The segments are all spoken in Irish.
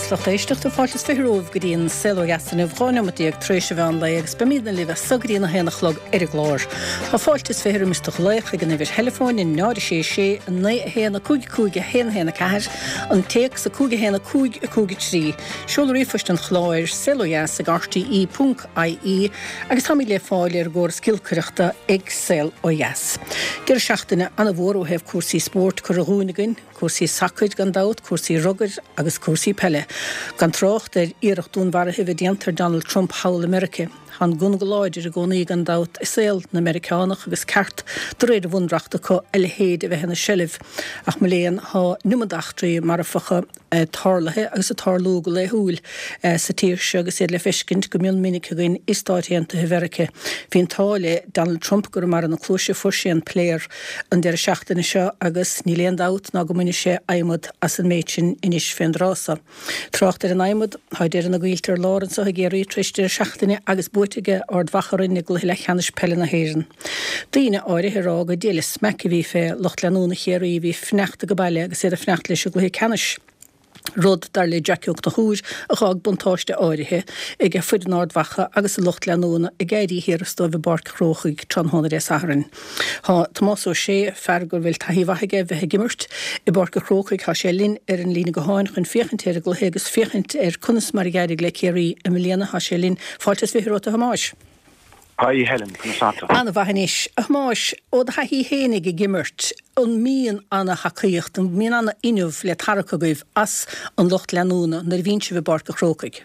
is lucht éisteachta, fáilte is 20 romhaibh go dtí an Saol Ó Dheas inniu, 12 neomat tar éis an mheán lae agus beimidne libh as so go dtí an 1 a chlog ar an gclár. Tá fáilte is 20 roimis do ghlaoch ag an uimhir theileafóin, 0 6 6 9 1 5 5 1 1 4, an téacs 5 1 5 5 3, seoladh ríomhphoist an chláir, saolodheas ag rte ponc ie, agus táimid le fáil ar an gcóras giolcaireachta ag Saol Ó Dheas. Deireadh seachtaine an-mhór ó thaobh cúrsaí spóirt curtha dhúinn againn. Cúrsaí sacair gan dabht, cúrsaí rugair agus cúrsaí peile. Gan trácht ar iarracht dúnmharaithe a bheith déanta ar Donald Trump thall i Meirice. Tá an gunna go láidir i gcónaí gan dabht i saol na Meiriceánach agus ceart de réir an bhunreachta acu a leithéid a bheith ina seilbh. Ach mo léan, tá an iomad eachtraí marfacha tarlaithe agus ag tarlú go laethúil sa tír seo agus iad le feiscint go mion minic againn i Stáit Aontaithe Mheirice. Bhí an t-ádh le Donald Trump go raibh marbh na cluaise, fuair sé an pléar. an deireadh seachtaine seo agus níl aon dabht ná go mbainfidh sé adhmad as an méid sin anois fén dtráth so. Trácht ar an adhmad, tá deireadh na gcoillte ar lár anso i gCiarraí tar éis deireadh seachtaine agus buaite ag Ard Mhacha orainn i gcluiche leathcheannais peile na hÉireann. Daoine áirithe ag rá gur diail an smaic a bhí fé lucht leanúna Chiarraí a bhí ag fanacht age baile agus iad ag fanacht leis an gcluiche ceannais. rud, dar le Jackie Ó Conchúir, a dh'fhág buntáiste áirithe ag foireann Ard Mhacha agus a lucht leanúna ag éirí thiar as dóibh i bPáirc an Chrócaigh tráthnóna Dé Sathairn. Tá Tomás Ó Sé, fear go bhfuil taithí mhaith aige bheith ag imirt i bPáirc an Chrócaigh, tá sé linn ar an líne gutháin chun féachaint ar an gcluiche agus féachaint ar conas mar a d'éirigh le Ciarraí i mbliana. Tá sé linn. Fáilte is 20 romhat a Thomáis. Hi Helen, conas tá tú? An-mhaith anois. A Thomáis, ó do thaithí fhéinig ag imirt, an mbíonn ana-thacaíocht, an mbíonn ana-fhuinneamh le tarrac agaibh as an lucht leanúna nuair a bhíonn sibh i bPáirc an Chrócaigh?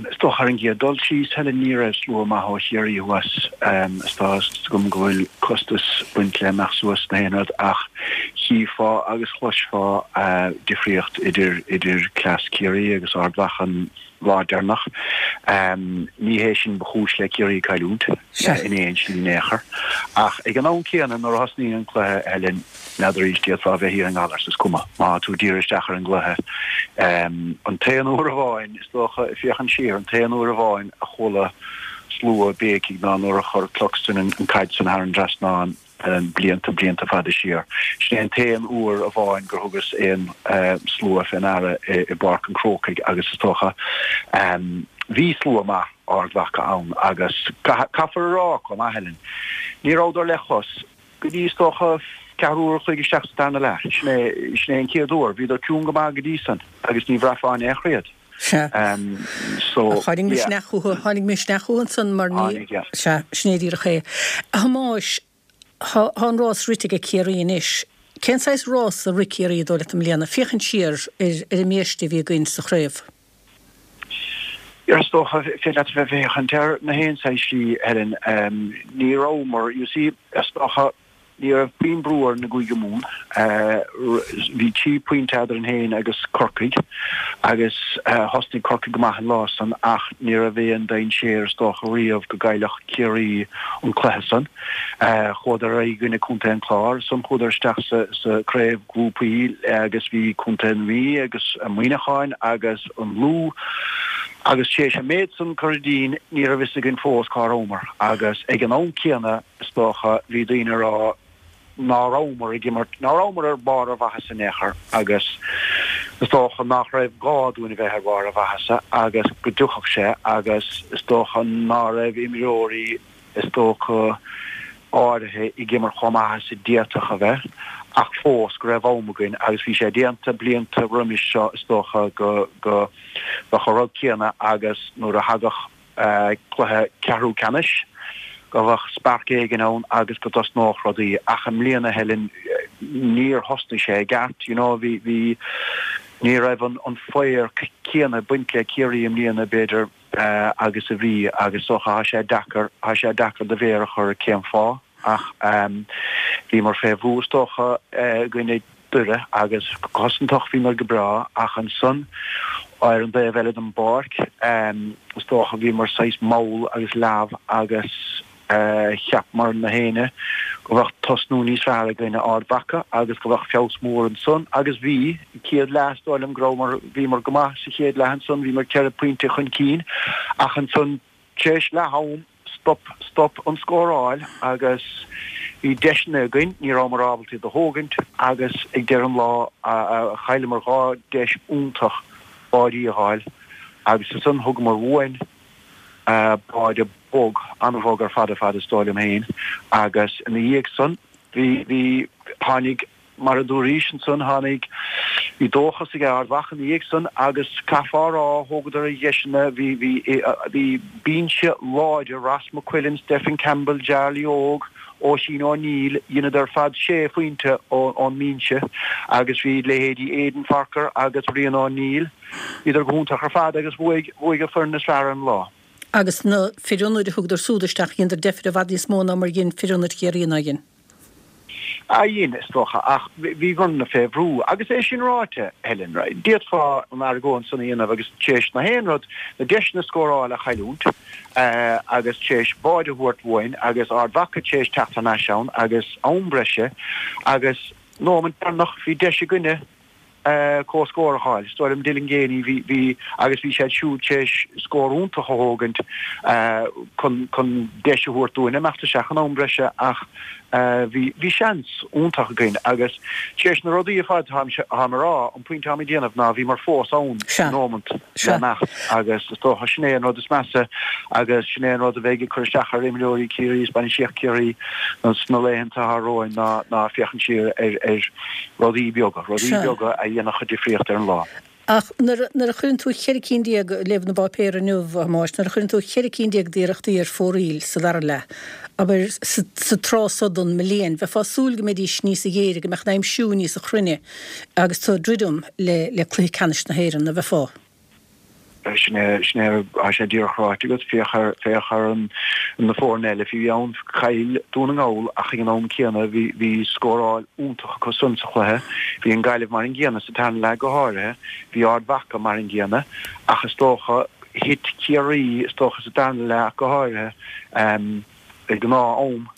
Is dócha ar an gcéad dul síos, Helen, ní raibh slua maith ó Chiarraí thuas. Is tá 'fhios agam go bhfuil costas baint le imeacht suas na haon rud ach chífeá agus chloisfeá difríocht idir idir cleas Ciarraí agus Ard Mhacha an lá deireanach. Ní hé sin ba chúis le Ciarraí cailliúint in aon slí in aon chor. Ach ag an am céanna, nuair a thosnaíonn an cluiche, Helen, n'fheadar arís, d'fhéadfá a bheith thiar i nGallaras, is cuma. Má tá tú dírithe isteach ar an gcluiche. An t-aon uair amháin, is dócha, ag féachaint siar, an t-aon uair amháin a chuala slua béicigh ná nuair a chuir Cluxton an caid san thar an dtrasnán. blianta, blianta fada siar. Sin é an t-aon uair amháin gur thugas aon slua fé ndeara i bPáirc an Chrócaigh agus is dócha bhí slua maith Ard Mhacha ann agus caithfear a rá chomh maith, Helen, ní rabhadar le chos go dtí is dócha ceathrú uair a chloig isteach sa darna leath. Sin é, sin é an chéad uair. Bhíodar ciúin go maith go dtí san agus ní bhraithfeá in aon chor iad. Sea. So, Tháinig yeah. misneach uathu, tháinig misneach uathu ansan mar ní, Tháinig, yeah. sea, sin é díreach é. A Thomáis, tá, tá an rás rite ag Ciarraí anois. Cén saghas rás a rith Ciarraí, dóigh leat, i mbliana, féachaint siar ar, ar an mbiaiste a bhí againn sa chraobh? Yeah, is dócha, féidir leat a bheith ag féachaint air na haon saghas slí, Helen. Ní rabhamar, you see, is dócha, Ní raibh puinn brú orainn i gCúige Mumhan. Bhí trí phointe eadrainn féin agus Corcaigh agus thosnaigh Corcaigh go maith an lá san ach ní raibh aon dainséar is dócha riamh go gcaillfeadh Ciarraí an cluiche san. Chuadar ar aghaidh i gcoinne Contae an Chláir, ansan chuadar isteach sa craobh grúpaí agus bhí Contae na Mí agus Muineacháin agus an Lú agus tar éis an méid san curtha dínn ní raibh fhios againn fós cá rabhamar agus ag an am céanna Is dócha, bhí daoine ag rá ná rabhamar ag imirt, ná rabhamar ar bharr ár mhaitheasa in aon chor agus is dócha nach raibh gá dúinn a bheith ar bharr ár mhaitheasa agus go dtiocfadh sé agus is dócha ná raibh imreoirí is dócha áirithe ag imirt chomh maith is a d'fhéadfadh a bheith ach fós go raibh am againn agus bhí sé déanta blianta roimis seo is dócha go go mbeadh an rud céanna agus nuair a thagadh cluiche ceathrú ceannais, go mbeadh spark éigin ann agus go dtosnódh rudaí. Ach i mbliana, Helen, níor thosnaigh sé i gceart, you know, bhí, bhí, ní raibh an, an fire céanna ag baint le Ciarraí i mbliana, b'fhéidir, agus a bhí agus is dócha, tá sé deacair, tá sé deacair do mhéar a chur ar cén fáth. Ach bhíomar fé bhrú is dócha i gcoinne Doire agus go cosantach bhíomar go breá ach ansan ar an dtaobh eile den bpáirc is dócha bhíomar saghas mall agus leamh agus cheapamar na héinne go bheadh tosnú níos fearr i gcoinne Ard Mhacha agus go bheadh feabhas mór ansan agus bhí, chéad leath is dóigh liom go rabhamar, bhíomar go maith sa chéad leath ansan, bhíomar ceithre pointe chun cinn ach ansan tar éis leath am, Stop, stop an scóráil agus Bhí deiseanna againn, ní rabhamar ábalta iad a thógaint agus ag deireadh an lá chailleamar 2 deis iontach báidí a dh'fháil agus ansan thugamar uainn báide bog, an-bhog ar fad ar fad is dóigh liom féin agus ina dhiaidh san bhí, bhí, tháinig Mar a dúraís ansan, tháinig, bhí dóchas ag Ard Mhacha ina dhiaidh san agus caithfeá a rá, thógadar a dheiseanna, bhí, bhí, bhí binse láidir, Ross McQuillan, Stephen Campbell, Jarly Óg, Oisín O'Neill, dheineadar ar fad sé phointe ón mbinse agus bhí leithéidí Aidan Forker agus Rian O'Neill, bhíodar go hiontach ar fad agus bhuaigh, bhuaigh an foireann is fearr ar an lá. Agus na fir ionaid a thugadar súd isteach, dheineadar deifir i bhfad níos mó ná mar dhein fir ionaid Chiarraí ná dhein. Ah dhein, is dócha, ach bhí foirne fé bhrú. Agus é sin ráite, Helen, right, d'fhéadfá an argóint san a dhéanamh agus tar éis na haon rud, na deiseanna scóráil a chailliúint agus tar éis báide a thabhairt uainn agus Ard Mhacha tar éis teacht thar n-ais ann agus am breise agus nóimint deireanach bhí deis againne comhscór a fháil. Is dóigh liom Dylan Geaney, bhí, bhí, agus bhí siad siúd tar éis scór iontach a thógaint chun, chun deis a thabhairt dúinn imeacht isteach in am breise ach bhí, bhí seans iontach againn agus tar éis na rudaí ar fad táim, táim a rá, an pointe táim ag déanamh ná bhíomar fós ann nóimint le imeacht agus is dócha sin é an rud is measa agus sin é an rud a bheidh ag cur isteach ar imreoirí Ciarraí is bainistíocht Chiarraí sna laethanta atá romhainn ná, ná féachaint siar ar, ar. Rudaí beaga, rudaí beaga a dhéanfadh difríocht ar an lá. Ach nuair a chuireann tú cheithre cinn déag, léamh na bpáipéar inniu, a Thomáis, nuair a chuireann tú cheithre cinn déag d'iarrachtaí ar fóraoil sa dara leath, abair, sa tráth so den mbliain, bheifeá ag súil go mbeidís níosa ghéire, go mbeadh an aimsiú níosa chruinne agus tú ag druidim le cluiche ceannais na hÉireann, na bheifeá? Sin é, sin é, tá sé díreach ráite agat, féach ar, féach ar an, na foirne eile fiú ann, chaill Dún na nGall ach ag an am céanna bhí, bhí scóráil iontach acu san sa chluiche, bhí an Gaillimh mar an gcéanna sa tarna leath go háirithe, bhí Ard Mhacha mar an gcéanna ach is dócha thit Ciarraí is dócha sa darna leath ach go háirithe, ag gnáth-am.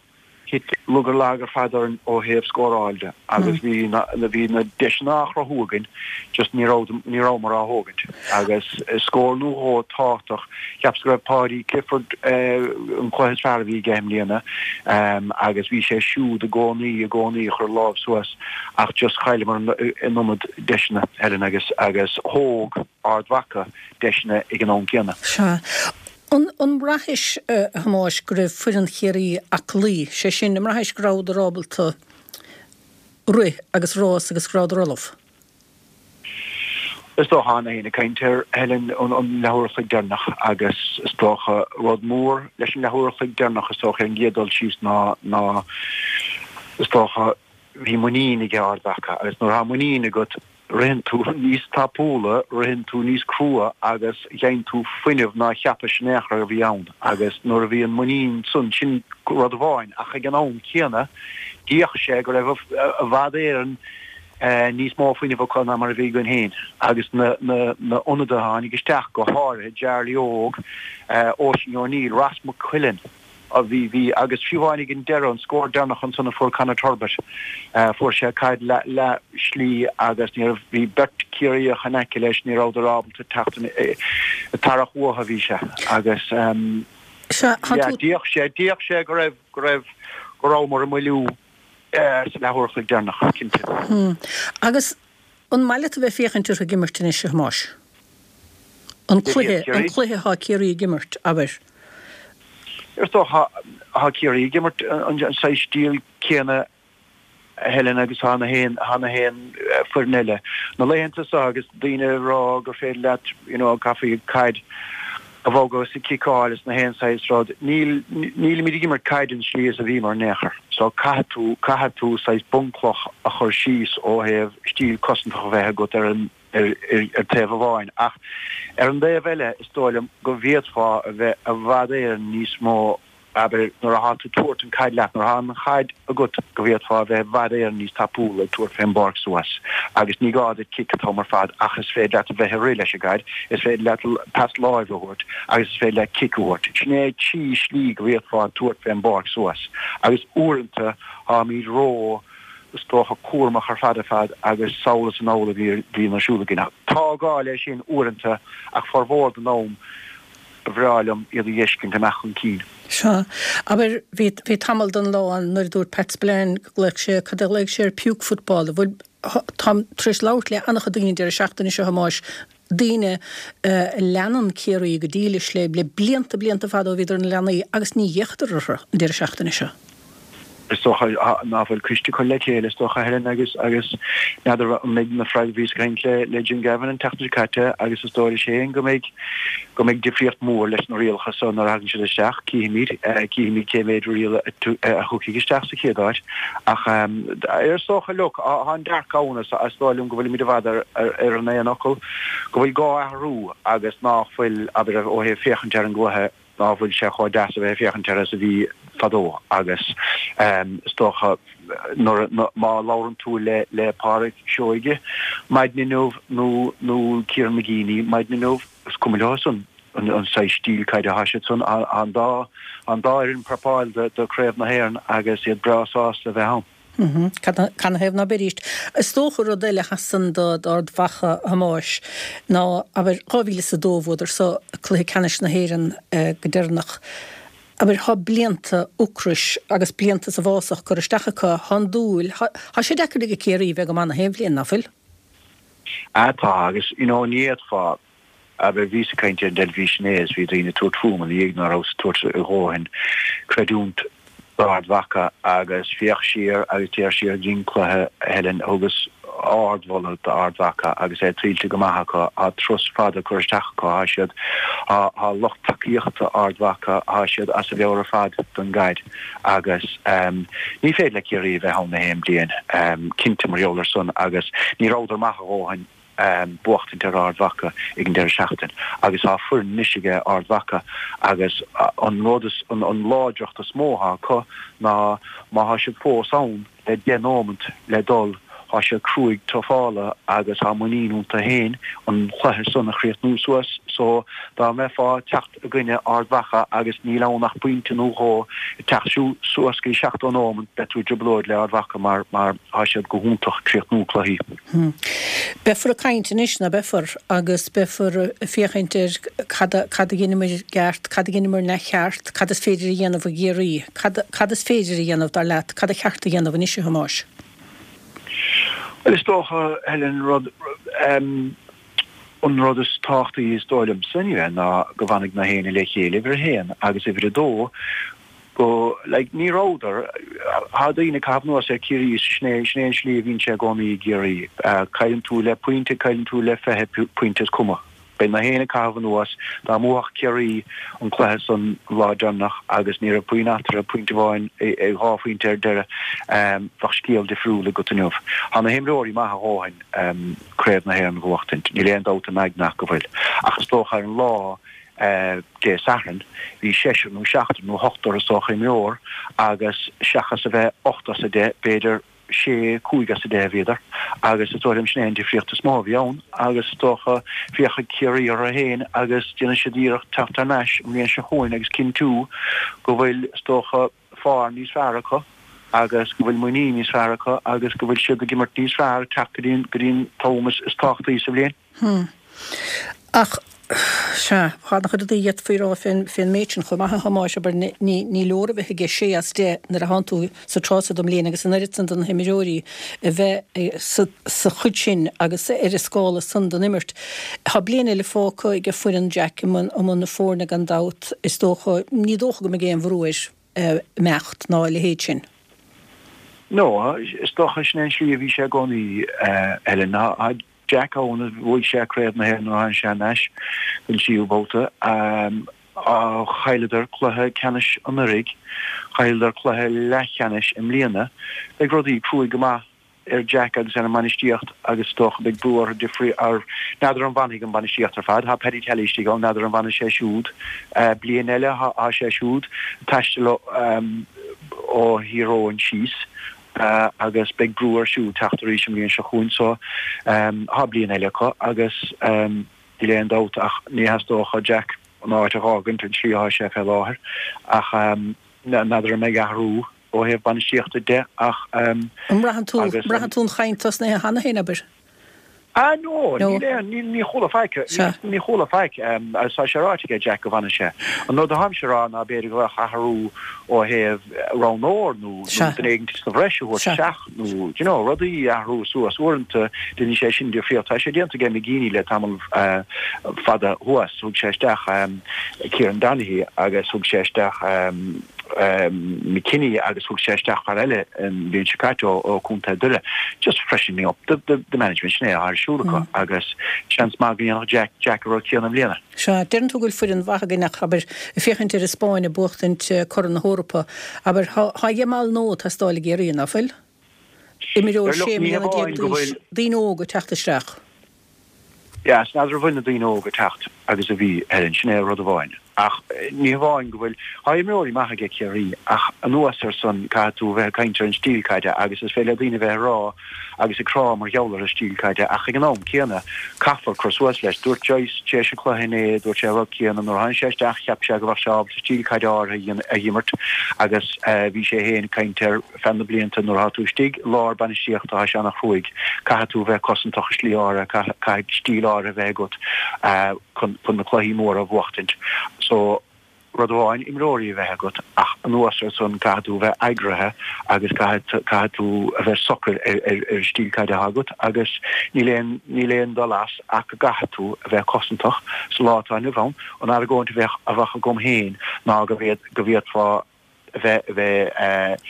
Thit lug ar lag ar fad orainn ó thaobh scóráil de agus bhí na bhí na deiseanna á chruthú againn just ní raibh ní rabhamar á thógaint agus scór nó dhó tábhachtach. Cheapas go raibh Paudie Clifford an cluiche is fearr a bhí aige i mbliana agus bhí sé siúd i gcónaí i gcónaí ag cur lámh suas ach just chailleamar an iomad deiseanna Helen agus agus thóg Ard Mhacha deiseanna ag an am céanna. Sea. An mbraithis, a Thomáis, go raibh foireann Chiarraí aclaí, sé sin, an mbraithis go rabhadar ábalta rith agus rás agus go rabhadar ullamh? Is dócha, tá na haon ag caint ar Helen an leathuair a chloig deireanach agus is dócha rud mór leis an leathuair a chloig deireanach is dócha ar an gcéad dul síos ná ná is dócha bhí muinín ag Ard Mhacha agus nuair atá muinín agat Ritheann tú níos tapúla, ritheann tú níos crua agus gheibheann tú fuinneamh ná cheapais in aon chor a bhí ann agus nuair a bhí an muinín san, sin rud amháin ach ag an am céanna d'fhéach sé go raibh i bhfad Éireann níos mó fuinnimh acu ná mar a bhí againn féin agus na na ionadaithe a tháinig isteach, go háirithe Jarly Óg, Oisín O'Neill, Ross McQuillan. a bhí, bhí, agus fiú amháin ag an deireadh, an scór deireanach ansan a fuair Conor Turbitt, fuair sé caid leath slí agus ní raibh, bhí beirt Ciarraíoch in aice leis, ní rabhadar ábalta teacht in, ag tarrac uathu a bhí sé agus Sea, tá yeah, tú. d'fhéach sé, d'fhéach sé go raibh, go raibh, go rabhamar i moilliú sa leathuair a chloig deireanach, cinnte. Agus An maith leat a bheith ag féachaint orthu ag imirt anois, a Thomáis? An cluiche, an cluiche atá Ciarraí ag imirt, abair. Is dócha, tá Ciarraí ag imirt an saghas stíl céanna, a Helen, agus tá na haon, tá na haon foireann eile. Na laethanta seo agus daoine ag rá gur féidir leat, you know, caithfidh caid a bhogadh is a ciceáil is na haon saghas rud. Níl, nílimid ag imirt caid an slí is a bhíomar in aon chor. So caithfidh tú, caithfidh tú saghas bunchloch a chur síos ó thaobh stíl cosantach a bheith agat ar an, ar, ar, ar taobh amháin. Ach ar an dtaobh eile is dóigh liom go bhféadfá a bheith i bhfad Éireann níos mó Abair, nuair atá tú tabhairt an caid leat, nuair atá an chaid agat, go bhféadfá a bheith i bhfad Éireann níos tapúla ag tabhairt fén bpáirc suas agus ní gá duit cic an t-am ar fad ach is féidir leat a bheith ag rith leis an gcaid, is féidir leat pas láimhe a thabhairt agus is féidir leat cic a thabhairt. Sin é trí shlí go bhféadfá tabhairt fén bpáirc suas agus uaireanta táimid ró, is dócha, cúramach ar fad ar fad agus sall is anall a bhíonn ar siúl againn. Tá gá leis sin uaireanta ach formhór den am. Ba bhreá liom iad a dh'fheiscint amach chun cinn. Sea. Abair, bhí, bhí tamall den lá ann nuair a dúirt Pat Spillane go nglaoigh sé, cad a ghlaoigh sé air, puke football. Bhuel, táim tar éis labhairt le an-chuid daoine an deireadh seachtaine seo, a Thomáis, daoine a leanann Ciarraí go dílis le, le blianta, blianta fada ó bhíodar ina leanaí agus ní fhéachadar orthu an deireadh seachtaine seo. Is dócha ná fuil coiste curtha le chéile, is dócha, Helen, agus agus n'fheadar an mbeidh na freagraí bhíos ag caint le le Jim Gavin an tseachtain seo caite agus is dóigh leis féin go mbeidh go mbeidh difríocht mhór leis na rialacha so nuair a thagann siad isteach. Cífimid, cífimid cé mhéid riail a thiocfaidh isteach sa chéad áit. Ach is dócha, look, tá an dearcadh ann is is dóigh liom go bhfuilimid i bhfad ar ar an aon fhocal go bhfuil gá athrú agus ná fuil, abair, ó thaobh féachaint ar an gcluiche, ná fuil sé chomh deas a bheith ag féachaint air is a bhí fadó agus is dócha nuair má labhrann tú le le Pádraic Seoige maidin inniu nó nó Kieran McGeeney maidin inniu is cuma leo san an an saghas stíl caide atá siad san an dá an dá fhoireann prapáil do do Craobh na hÉireann agus iad breá sásta a bheith ann. Canathaobh ná beidís? Is dócha rud eile a sheasann d'Ard Mhacha, a Thomáis, ná, abair, 2002 bhuadar so cluiche ceannais na hÉireann go deireanach. Abair, thá blianta ocrais agus blianta sa bhfásach curtha isteach acu, thá an dúil, thá sé deacair ag Ciarraí bheith go maith na haon bhliain, ná fuil? Ah tá, agus you know ní fhéadfá, Abair, bhíos ag caint ar an dteilifís inné is bhí daoine ag tabhairt fúm ina dhiaidh ná rabhas ag tabhairt a dhóthain creidiúint d'Ard Mhacha agus féach siar agus téir siar go dtí an cluiche, Helen, thugas ardmholadh d'Ard Mhacha agus é tuillte go maith acu, tá turas fada curtha isteach acu, tá siad, tá lucht tacaíochta Ard Mhacha, tá siad as a mheabhair ar fad don gcaid agus ní féidir le Ciarraí a bheith ann na haon bliain, cinnte mar gheall ar san agus ní rabhadar maith a dhóthain. buachtaint ar Ard Mhacha ag an deireadh seachtain agus tá foireann anois aige Ard Mhacha agus an rud is an láidreacht is mó atá acu ná má thá siad fós ann le 10 nóimint le dul thá siad cruaidh tufála agus thá muinín iontu féin an chluiche san a chríochnú suas so dá mbeifeá teacht i gcoinne Ard Mhacha agus níl ann ach pointe nó dhó ag teacht suas go dtí 70 nóimint beidh tú i dtrioblóid le Ard Mhacha mar mar thá siad go hiontach ag críochnú cluichí. Beifear ag caint anois, ná beifear, agus beifear ag féachaint ar cad a cad a dheineamar i gceart, cad a dheineamar neamhcheart, cad is féidir a dhéanamh i gCiarraí, cad cad is féidir a dhéanamh, dar leat, cad a cheart a dhéanamh anois, a Thomáis? Bhuel, is dócha, Helen, rud, an rud is tábhachtaí is dóigh liomsa anyway ná go bhfanfaidh na héinne le chéile, uimhir a haon, agus uimhir a dó, go, like, ní rabhadar, thá daoine ag caitheamh anuas ar Ciarraí is sin é, sin é an slí a bhíonn sé i gcónaí i gCiarraí. Cailleann tú le pointe, cailleann tú le 20 pointe is cuma. Beidh na héinne ag caitheamh anuas. Dá mbuafadh Ciarraí an cluiche san an lá deireanach agus ní raibh puinn eatarthu, pointe amháin, dhá phointe ar deireadh, bheadh scéal difriúil agat inniu. Thá na himreoirí maith a dhóthain Craobh na hÉireann a bhuachtaint, níl aon dabht im aigne ach go bhfuil. Ach is dócha ar an lá Dé Sathairn, bhí seisear nó seachtar nó ochtar is dócha imreoir agus seachas a bheith 8 as 10, b'fhéidir sé, 5 as 10 a bhíodar agus is dóigh liom sin é an difríocht is mó a bhí ann agus is dócha féachfaidh Ciarraí orthu féin agus déanfaidh siad iarracht teacht thar n-ais an bhliain seo chugainn agus cinntiú go bhfuil is dócha fear níos fearr acu agus go bhfuil muinín níos fearr acu agus go bhfuil siad ag imirt níos fearr ag teacht go dtí an go dtí an t-am is tábhachtaí sa bhliain. Hm. Ach, sea, tá an-chuid rudaí a d'fhéadfaí a rá fén, fén méid sin chomh maith, a Thomáis, abair, ní, ní leor a bheith ag sé as 10 nuair a thánn tú sa tráth so den mbliain agus an oiread san de na himreoirí a bheith sa, sa chuid sin agus ar an scála san den imirt. Tá bliain eile fágtha ag foireann Jack i mbun, i mbun na foirne gan dabht, is dócha, ní dócha go mbeidh aon bhrú air imeacht ná a leithéid sin. No, is dócha sin é an slí a bhí sé i gcónaí, Helen. Tá Jack ann, bhuaigh sé Craobh na hÉireann nuair a tháinig sé thar n-ais don tríú babhta. Chailleadar cluiche ceannais anuraidh, chailleadar cluiche leathcheannais i mbliana. Beidh rudaí cruaidh go maith ar Jack agus ar an mbainistíocht agus is dócha beidh brú orthu difrí ar n'fheadar an bhfanfaidh an bhainistíocht ar fad. Tá Paddy Tally istigh ann, n'fheadar an bhfanfaidh sé siúd bliain eile. Tá sé siúd ag taisteal ó Thír Eoghain síos agus beidh brú air siúd teacht arís an bhliain seo chugainn so tá bliain eile acu agus níl aon dabht ach ní theastódh ó Jack an áit a dh'fhágaint an tslí atá sé fé láthair ach n'fheadar an mbeidh athrú ó thaobh bainistíochta de ach An mbraitheann tú, an mbraitheann tú an chaint tosnaithe cheana féin, abair? Ah no, níl aon, níl, ní chuala faic, ní chuala faic, agus tá sé ráite aige Jack go bhfanfaidh sé. An rud atáimse a rá ná b'fhéidir go bheadh athrú ó thaobh roghnóir nó duine éigin sa bhreis a thabhairt isteach nó, do you know, rudaí a athrú suas. Uaireanta déanann sé sin difríocht. Tá sé déanta aige McGeeney le tamall fada thuas. Thug sé isteach Kieran Donaghy agus thug sé isteach McKinney agus thug sé isteach fear eile an bhliain seo caite ó Chontae Doire. Just freshening up the, the, the management sin é atá ar siúl acu agus seans maith go ndéanfadh Jack, Jack an rud céanna i mbliana. Sea, deireann tú go bhfuil foireann mhaith againn ach, abair, ag féachaint ar an Spáinn ag buachtaint Corn na hEorpa, abair, tá, tá Yamal nua ag teastáil i gCiarraí, ná fuil? Imreoir Look, 16 ní mbliana hamháin go d'aois, bhfuil. daoine óga ag teacht isteach. Yes, n'fheadar an bhfuil na daoine óga ag teacht agus a bhí, Helen, sin é rud amháin. Ach ní hamháin go bhfuil, tá imreoirí maithe aige Ciarraí ach anuas ar san caithfidh tú a bheith ag caint ar an stíl caide agus is féidir le daoine a bheith ag rá agus ag crá mar gheall ar an stíl caide ach ag an am céanna caithfear cur suas leis. Dúirt Joyce tar éis an chluiche inné, dúirt sé an rud céanna, nuair a tháinig sé isteach cheap sé go bheadh sé ábalta stíl caide áirithe a dh'imirt agus bhí sé féin ag caint ar feadh na blianta, nuair atá tú istigh i lár bainistíochta tá sé ana-chruaidh, caithfidh tú a bheith cosantach i slí áirithe, caithfidh stíl áirithe a bheith agat chun na cluichí móra a bhuachtaint. So, rud amháin imreoirí a bheith agat ach anuas ar san caithfidh tú a bheith eagraithe agus caithfidh tú a bheith socair ar an stíl caide atá agat agus níl aon níl aon dul as ach go gcaithfidh tú a bheith cosantach sa lá atá inniu ann. An argóint a bheadh a bheadh agam féin ná go bhféadfá a bheith a bheith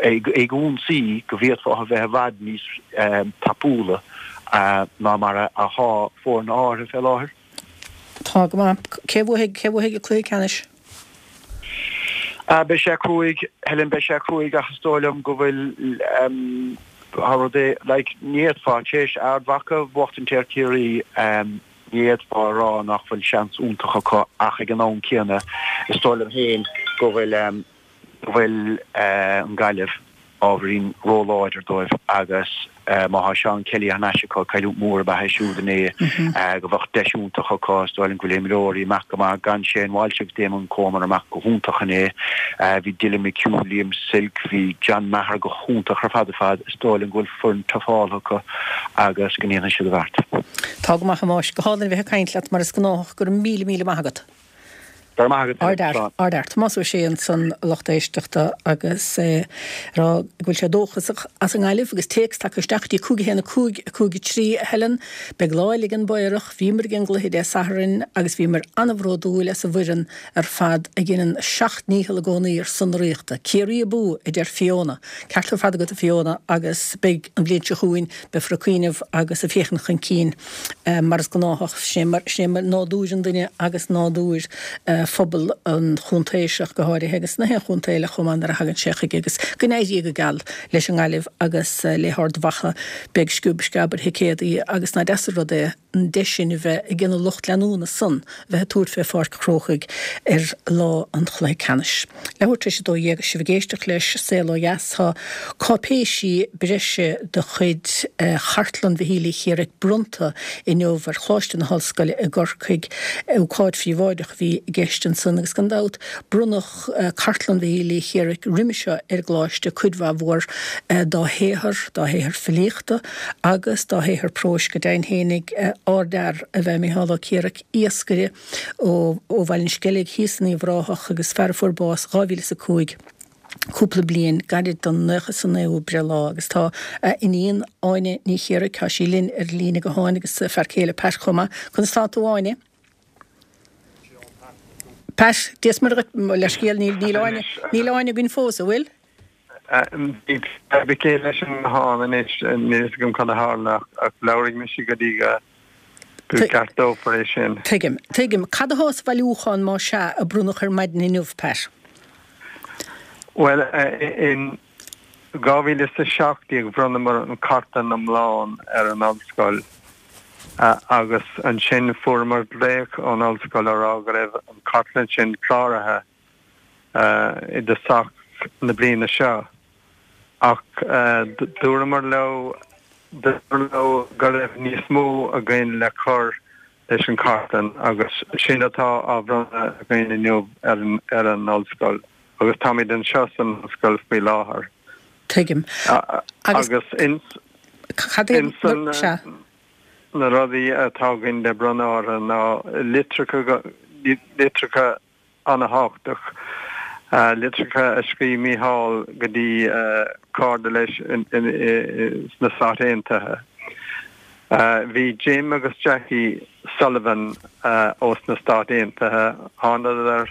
ag ionsaí go bhféadfá a bheith i bhfad níos tapúla ná mar atá foirne áirithe fé láthair. Tá go maith. Cé a bhuafaidh, cé a bhuafaidh an cluiche ceannais? Beidh sé cruaidh, Helen, beidh sé cruaidh ach is dóigh liom go bhfuil tá rud é, like, ní fhéadfá, tar éis Ard Mhacha a bhuachtaint ar Chiarraí, Ní fhéadfá a rá nach bhfuil seans iontach acu ach ag an am céanna is dóigh liom féin go bhfuil go bhfuil an Ghaillimh ábhairín róláidir dóibh agus má thá Seán Kelly thar n-ais acu, cailliúint mhór ab ea é siúd inné, go bheadh deis iontach acu. Is dóigh liom go bhfuil imreoirí amach go maith gan Shane Walsh agus Damon Comer amach go hiontach inné. Bhí Dylan McHugh, Liam Silke, bhí John Maher go hiontach ar fad ar fad. Is dóigh liom go bhfuil foireann tufáltha acu agus go ndéanfaidh siad a bheart. Tá go maith, a Thomáis. Go hálainn a bheith ag caint leat mar is gnáthach. Go raibh míle, míle maith agat. Go raibh maith agat, Ardfhear, ardfhear. Tomás Ó Sé ansan, a lucht éisteachta, agus é ag rá go bhfuil sé dóchasach as an nGaillimh agus téacs tagtha isteach go dtí 5 1 5 5 3, a Helen. Beidh lá eile ag an bPaorach. Bhíomar ag an gcluiche Dé Sathairn agus bhíomar an-bhródúil as an bhfoireann ar fad a dheineann a seacht ndícheall i gcónaí ar son na Ríochta. Ciarraí abú! a deir Fiona. Ceart ar fad agat a Fiona agus beidh an bhliain seo chugainn, beifear ag cuimhneamh agus ag féachaint chun cinn mar is gnáthach. Sin é mar nádúr an duine agus nádúr phobal an chontae seo go háirithe agus na haon chontae eile chomh maith nuair a thagann sé chuige agus go n-éirí go geal leis an nGaillimh agus le hArd Mhacha. Beidh sciob sceab ar thicéadaí agus nach deas an rud é an deis sin a bheith ag an lucht leanúna san a bheith ag tabhairt fé Pháirc an Chrócaigh ar lá an chluiche ceannais. Leathuair tar éis 12 is sibh ag éisteacht leis Saol Ó Dheas. Tá cáipéisí breise de chuid Chartlann Mhichíl Uí Chéaraigh bronnta inniu ar Choláiste na hOllscoile i gCorcaigh. Ócáid phríobháideach a bhí i gceist ansan agus gan dabht bronnadh Cartlann Mhichíl Uí Chéaraigh roimhe seo ar an gColáiste cuid mhaith mhór dá shaothar, dá shaothar filíochta agus dá shaothar próis go deimhin fhéinig. Ardfhear ab ea Micheál Ó Céaraigh, iascaire ó Bhaile an Sceilg thíos in Uíbh Ráthach agus fear a fuair bás 2005, cúpla bliain gairid don naocha is a naoú breithlá agus tá a iníon Áine Ní Chéaraigh, tá sí linn ar líne gutháin agus a fear céile Pat chomh maith. Conas tá tú Áine? Pat, Dia is Muire dhuit, mo leithscéal, níl, níl Áine, níl Áine againn fós, an bhfuil? Bhí fadhb aici leis an nguthán anois, níl fhios agam cad a tharla ach labharfaidh mise go dtí go gceartófar é sin. Tuigim, tuigim. Cad atá sa bhailiúchán más ea a bronnadh ar maidin inniu, Pat? Bhuel, in 2017 bhronnamar an chartlann iomlán ar an ollscoil. Agus ansin fuaireamar glaoch ón ollscoil á rá go raibh an chartlann sin cláraithe i dtosach na bliana seo. Ach dúramar leo, dúramar leo go raibh níos mó againn le cur leis an chartlann agus sin atá á bhronnadh againn inniu ar an ollscoil agus táimid anseo san ollscoil faoi láthair. Tuigim. Agus ins Cad é san sea. na rudaí atá againn le bronnadh orthu ná litreacha, litreacha ana-thábhachtach, litreacha a scríobh Mícheál go dtí cairde leis sna Stáit Aontaithe. Bhí Jim agus Jackie Sullivan ós na Stáit Aontaithe, thánadar,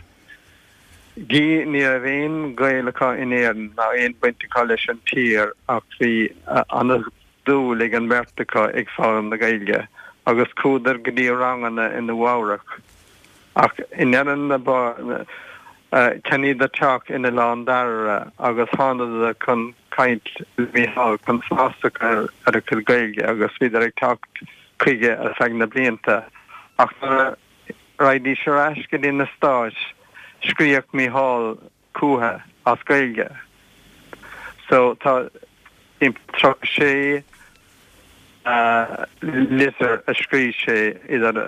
Gí, ní raibh aon ghaol acu in Éirinn ná aon bhaint acu leis an tír ach bhí ana-dhúil ag an mbeirt acu ag foghlaim na Gaeilge agus chuadar go dtí ranganna i Nua Eabhrac. Ach i ndeireadh na cheannaíodar teach in Oileán Dairbhre agus thánadar chun caint le Mícheál chun feabhas a chur ar a chuid Gaeilge agus bhíodar ag teacht chuige ar feadh na blianta ach nuair a raghaidís ar ais go dtí na Stáit scríobhadh Mícheál chúthu as Gaeilge. So tá timpeall 36 litir a scríobh sé idir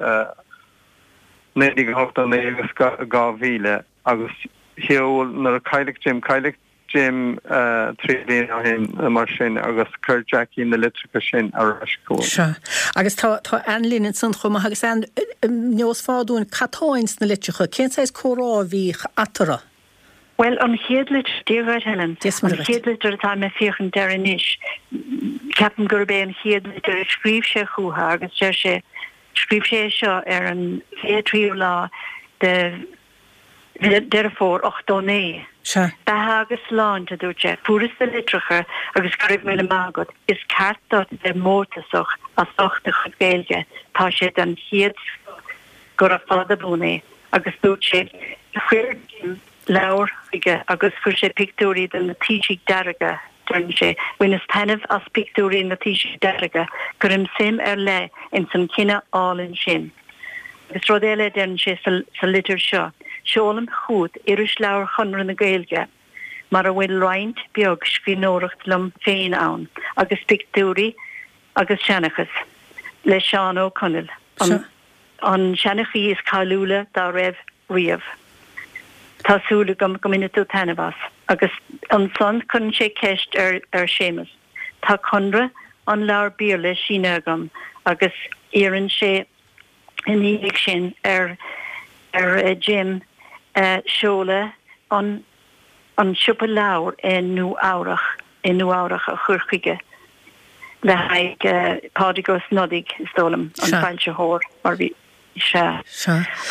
1989 agus 2000 agus sheol nuair a cailleadh Jim, cailleadh Jim 3 bliana ó shin nó mar sin agus chuir Jackie na litreacha sin ar ais chugainn. Sea. Agus tá, tá Ann linn ansan chomh maith agus Ann, neosfá dúinn cad tá ins na litreacha, cén saghas comhrá a bhíodh eatarthu? Bhuel, an chéad litir, Dia dhuit Helen, Dia is an Muire dhuit. chéad litir atá mé ag féachaint air anois, ceapaim gurb é an chéad litir a scríobh sé chúthu agus deir sé, scríobh sé é seo ar an 23ú lá de Deireadh Fómhair 89. Sea. Beatha agus sláinte, a dúirt sé. Fuaireas do litreacha agus go raibh míle maith agat. Is ceart duit a bheith mórtasach as ucht do chuid Gaeilge. Tá sé den chéad scoth. Gura fada buan é. Agus dúirt sé, chuir Jim leabhar chuige agus chuir sé pictiúirí de na taoisigh dearga, deireann sé, bhaineas taitneamh as pictiúirí na taoisigh dearga, cuirim suim ar leith ins an chine álainn sin. Agus rud eile a deireann sé sa litir seo, Seolaim chugat Irisleabhar Chonradh na Gaeilge, mar a bhfuil roinnt beag scríbhneoireacht liom féin ann, agus pictiúirí agus seanchas le Seán Ó Conaill, an seanchaí is cáiliúla dá raibh riamh. Tá súil agam go mbainfidh tú taitneamh as. Agus ansan cuireann sé ceist ar Séamus. Tá conradh an leabhar Béarla sínithe agam agus iarrann sé ina dhiaidh sin ar ar Jim seoladh an an siopa leabhar i Nua Eabhrach i Nua Eabhrach a chur chuige le haghaidh Pádraig Ó Snodaigh is dóigh liom an foilsitheoir mar bhí sea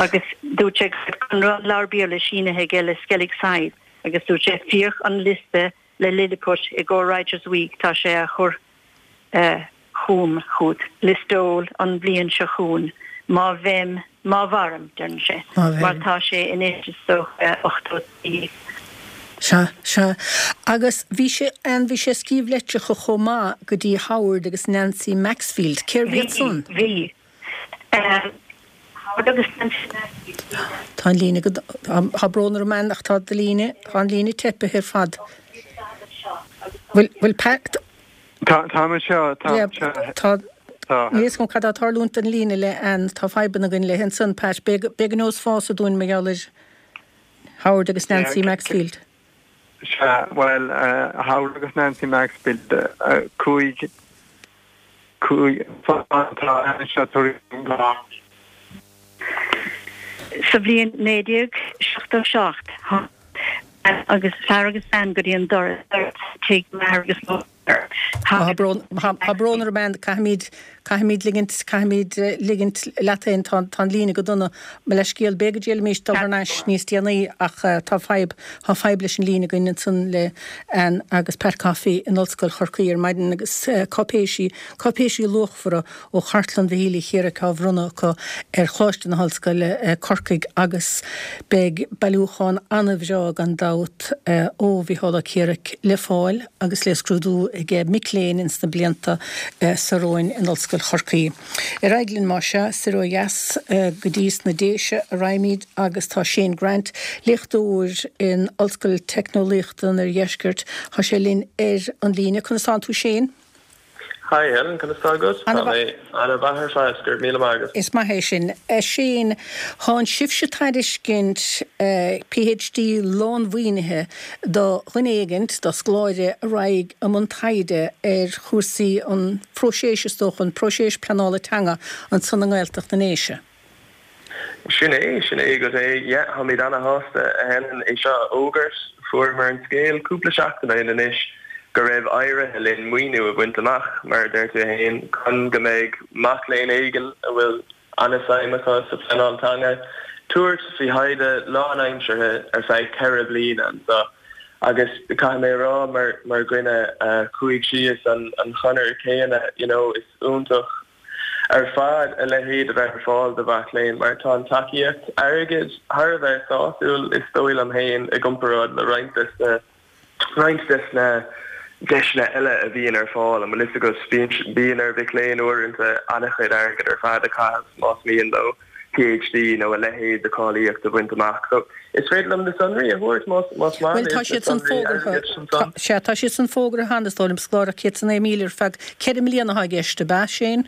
agus dúirt sé go raibh conradh an leabhar Béarla sínithe aige le Skellig Side agus dúirt sé féach an liosta le Lilliput i gcomhair Writers' Week tá sé á chur chugam, chugat, Listowel an bhliain seo chugainn, má bheim, má mhairim, deireann sé, mar tá sé anois is dócha 83. Sea, sea. Agus bhí sé, Ann, bhí sé ag scríobh litreacha chomh maith go dtí Howard agus Nancy Maxfield. Cérbh iad san? Bhí, bhí. Howard agus Nancy Maxfield. Tá an líne go, tá brón orm Ann ach tá do líne, tá an líne teipithe ar fad. Bhfuil, bhfuil Pat. Tá, táim anseo, tá, Tá, níl a fhios agam cad tá ag tarlúint don líne le Ann, tá fadhbanna againn léi ansan, Pat, b'fhéidir go neosfása dúinn mar gheall ar Howard agus Nancy Maxfield. Sea, bhuel, Howard agus Nancy Maxfield, 5, 5, tá Ann anseo tar éis. Sa bhliain 1977, tháinig agus fear agus bean go dtí an doras tigh m'athar agus mo mháthar. Tá brón, tá brón orm Ann, caithfimid, caithfimid ligint, caithfimid ligint leat féin, tá, tá an líne go dona. Mo leithscéal, b'fhéidir go dtriailfimís dul thar n-ais níos déanaí ach tá fadhb, tá fadhb leis an líne againn ansan le Ann agus Pat Coffey in Ollscoil Chorcaí ar maidin agus cáipéisí, cáipéisí luachmhara ó Chartlann Mhichíl Uí Chéireachaigh á bhronnadh acu ar Choláiste na hOllscoile, Corcaigh agus beidh bailiúchán an-bhreá gan dabht ó Mhicheál Ó Ciaraic le fáil agus le scrúdú ag mic léinn ins na blianta seo romhainn in Ollscoil Chorcaí. Ar aghaidh linn más ea, soir ó dheas go dtí sna Déise a raghaimid agus tá Shane Grant, léachtóir in Ollscoil Teicneolaíochta an Oirdheiscirt, tá sé linn ar an líne. Conas tánn tú Shane? Hi Helen, conas tá agat? Tá mé ana-mhaith ar fad, go raibh míle maith agat. Is maith é sin. A Shane, thánn sibhse ag tairiscint PhD lánmhaoinithe do dhuine éigint, do scoláire a raghaidh i mbun taighde ar chúrsaí an phróiseas, is dócha, an próiseas pleanála teanga ansan i nGaeltacht na nDéise. Sin é, sin é agat é. Yeah, táimid ana-shásta, a Helen, é seo a fhógairt. Fuaireamar an scéal cúpla seachtain ó shin anois go raibh éirithe linn maoiniú a bhaint amach, mar a deir tú fhéin, chun go mbeidh mac léinn éigin a bhfuil ana-suim acu sa phleanáil teanga tabhairt faoi thaighde lánaimseartha ar feadh 4 bliana anseo. Agus caithfidh mé a rá, mar, mar dhuine a chuaigh síos an, an chonair chéanna, you know, is iontach ar fad a leithéid a bheith ar fáil do mhac léinn mar tá an tacaíocht airgid thar a bheith sásúil is dóigh liom féin i gcomparáid le roinnt des na roinnt des na deiseanna eile a bhíonn ar fáil. An bhfuil fhios agat, bíonn bíonn ar mhic léinn uaireanta an-chuid airgid ar fad a chaitheamh más mian leo PhD nó a leithéid de cháilíocht a bhaint amach. So, is féidir liom na sonraí a thabhairt más más maith Bhuel, tá libh, na siad san sonraí fógartha. airgeadais ansan. Sea, tá siad san fógartha cheana, is dóigh liom, scoláireacht 109,000 ar feadh 4 mbliana atá i gceist, ab ea, Shane?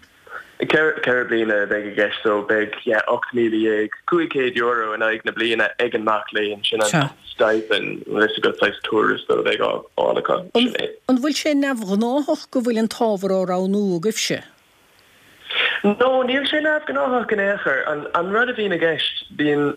4 bliana a bheidh i gceist so beidh, yeah, €18,500 in aghaidh na bliana ag an mac léinn, sin an Sea. stipend, an bhfuil fhios agat, saghas tuarastal a bheidh á fháil acu, An sin é. an bhfuil sé neamhghnáthach go bhfuil an t-ábhar á roghnú agaibhse? No, níl sé neamhghnáthach in aon chor. An rud a bhíonn i gceist, bíonn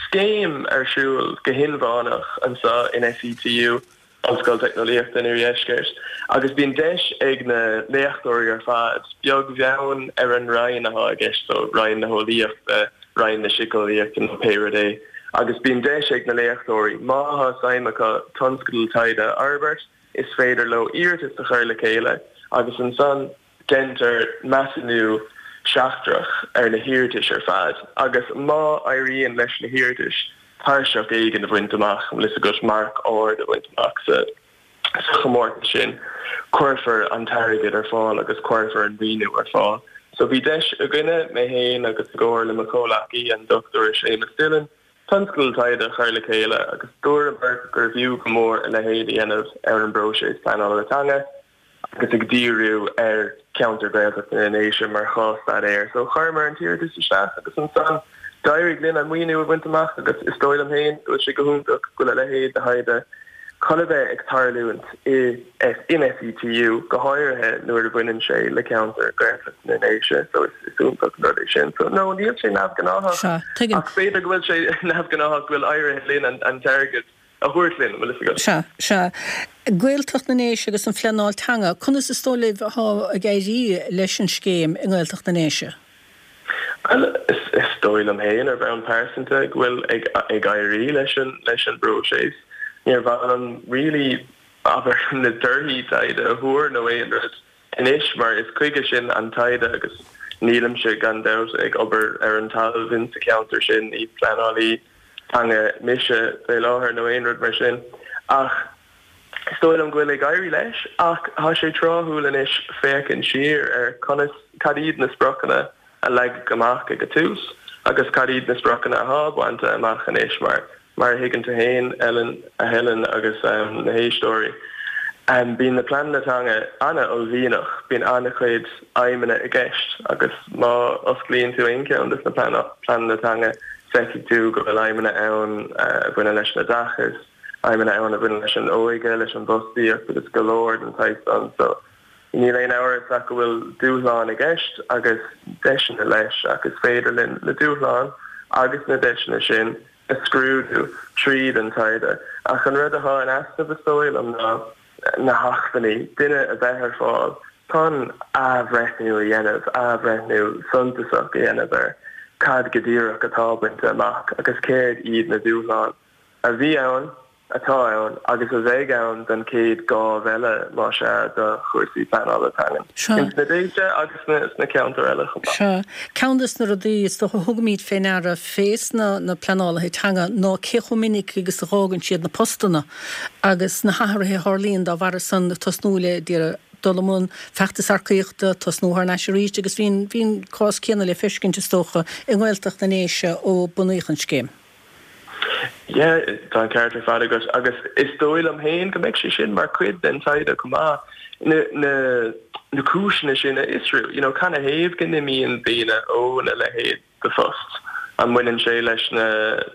scéim ar siúl go hinmheánach anseo in SETU, Ollscoil Teicneolaíochta an Iardheiscirt, agus bíonn deis ag na léachtóirí ar fad, beag bheann ar an roinn atá i gceist, so Roinn na hEolaíochta, Roinn na Síceolaíochta nó pé rud é, agus bíonn deis ag na léachtóirí, má tá suim acu tionscadal taighde a fhorbairt, is féidir leo iarratas a chur le chéile agus ansan, Déantar measúnú seachtrach ar na hiarratais ar fad agus má éiríonn leis na hiarratais tairseach éigin a bhaint amach, an bhfuil fhios agat, marc ard a bhaint amach sa chomórtas sin, cuirfear an t-airgead ar fáil agus cuirfear an maoiniú ar fáil. So bhí deis againne, mé féin agus i gcomhar le mo chomhleacaí, an Dr Séamus Dillon, tionscadal taighde a chur le chéile agus dúramar gurbh fhiú go mór a leithéid a dhéanamh ar an bpróiseas pleanála teanga. agus ag díriú ar cheantar Gaeltachta na nDéise mar chás-staidéar. So chuireamar an t-iarratas isteach agus ansan d'éirigh linn an maoiniú a bhaint amach agus is dóigh liom féin go bhfuil sé go hiontach go bhfuil a leithéid de thaighde chun a bheith ag tarlúint i in SETU, go háirithe nuair a bhaineann sé le ceantar Gaeltachta na nDéise. So is is iontach an rud é sin. So no, níl sé neamhghnáthach Sea, tuigim. ach b'fhéidir go bhfuil sé neamhghnáthach go bhfuil éirithe linn an an t-airgead a thabhairt linn, an bhfuil fhios agat. Sea, sea. Gaeltacht na nDéise agus an phleanáil teanga, conas is dóigh libh atá ag éirí leis an scéim i nGaeltacht na nDéise? Bhuel, is dóigh liom féin, ar bhonn pearsanta, go bhfuil ag ag éirí leis an leis an bpróiseas. Níor mhaith liom really, abair, na torthaí taighde a thuar nó aon rud anois mar is chuige sin an taighde agus nílimse, gan dabht, ag obair ar an talamh in sa cheantar sin, ní pleanálaí teanga mise fé láthair nó aon rud mar sin ach is dóigh liom go bhfuil ag éirí leis ach tá sé tráthúil anois féachaint siar ar conas, cad iad na spriocanna a leagadh amach ag an tús agus cad iad na spriocanna atá bainte amach anois mar Mar a thuigeann tú féin, Ellen, a Helen agus na héisteoirí, bíonn na pleananna teanga an-uaillmhianach, bíonn an-chuid aidhmeanna i gceist agus má osclaíonn tú aon cheann de na pleananna teanga feicfidh tú go bhfuil aidhmeanna ann a bhaineann leis an oideachas, aidhmeanna ann a bhaineann leis an óige, leis an bhfostaíocht agus go leor den tsaghas san. So, níl aon amhras ach go bhfuil dúshláin i gceist agus deiseanna leis ach is féidir linn na dúshláin agus na deiseanna sin a scrúdú tríd an taighde. Ach an rud atá in easnamh, is dóigh liom, ná na hacmhainní, duine a bheith ar fáil chun athbhreithniú a dhéanamh, athbhreithniú suntasach a dhéanamh ar cad go díreach atá bainte amach agus céard iad na dúshláin a bhí ann atá ann agus a bheidh ann don chéad ghábh eile, más ea, do chúrsaí pleanála teangan ins na Déise agus sna ceantair eile chomh maith. Sea. Ceann des na rudaí, is dócha, a thugaimid fé ndeara fés na pleanálaithe teanga ná cé chomh minic agus a dh'fhágann siad na postanna agus na hathruithe a tharlaíonn dá bharra san, tosnú le d'iarraidh dul i mbun feachtas earcaíochta, tosnú thar n-ais arís agus bhí an, bhí an cás céanna le feiscint, is dócha, i nGaeltacht na nDéise ó bunaíodh an scéim. Yeah, tá an ceart ar fad agat agus is dóigh liom féin go mbeidh sé sin mar chuid den taighde chomh maith, na, na, na cúiseanna sin a fhiosrú, you know, canathaobh go n-imíonn daoine óna leithéid de phost? An mbaineann sé leis na,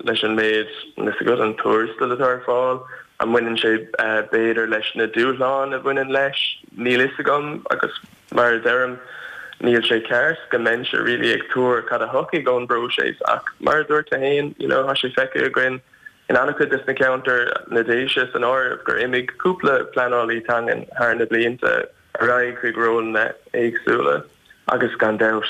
leis an méid, níl a fhios agat, an tuarastal atá ar fáil? An mbaineann sé b'fhéidir leis na dúshláin a bhaineann leis? Níl fhios agam agus mar a deirim, níl sé ceart go mbeinnse really ag tuar cad a thiocfaidh ón bpróiseas ach mar a dúirt tú féin, you know, tá sé feicthe againn in an-chuid des na ceantair, na Déise san áireamh, gur imigh cúpla pleanálaí teangan thar na blianta ar aghaidh chuig rólanna éagsúla agus gan dabht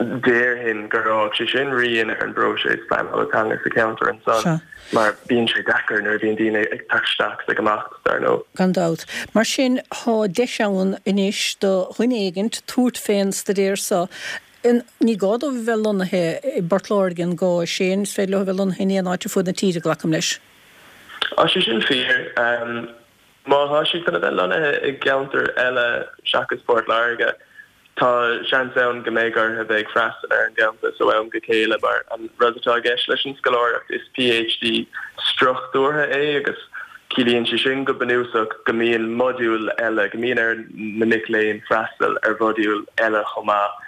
déarfainn gur fhág sé sin rian ar an bpróiseas pleanála teanga sa cheantar ansan mar bíonn sé deacair nuair a bhíonn daoine ag teacht isteach is ag imeacht, dar ndóigh. Gan dabht. Mar sin, tá deis ann anois do dhuine éigint tabhairt fén staidéar so. Ní gá dóibh a bheith lonnaithe i bPort Láirge, an gá, a Shane? Is féidir leo a bheith lonnaithe in aon áit ar fud na tíre, glacaim leis. Tá sé sin fíor. Má tá siad chun a bheith lonnaithe i gceantar eile seachas Port Láirge, tá seans ann go mbeidh orthu a bheith ag freastal ar an gcampas ó am go chéile mar an rud atá i gceist leis an scoláireacht is PhD struchtúrtha é agus ciallaíonn sé sin go bunúsach go mbíonn modúil eile, go mbíonn ar na mic léinn freastal ar mhodúil eile chomh maith,